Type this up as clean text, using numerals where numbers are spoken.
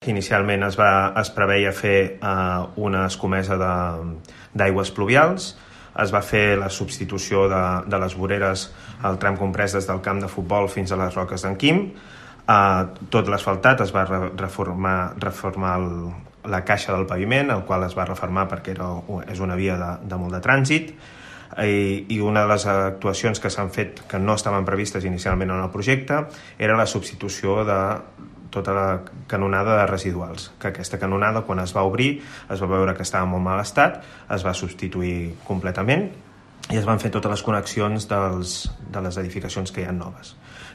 que inicialment es preveia fer una escomesa d'aigües pluvials. Es va fer la substitució de les voreres al tram comprès des del camp de futbol fins a les Roques d'en Quim. Tot l'asfaltat es va reformar la caixa del paviment, el qual es va reformar perquè és una via de molt de trànsit. I una de les actuacions que s'han fet que no estaven previstes inicialment en el projecte era la substitució de tota la canonada de residuals, que aquesta canonada, quan es va obrir, es va veure que estava en molt mal estat, es va substituir completament i es van fer totes les connexions de les edificacions que hi ha noves.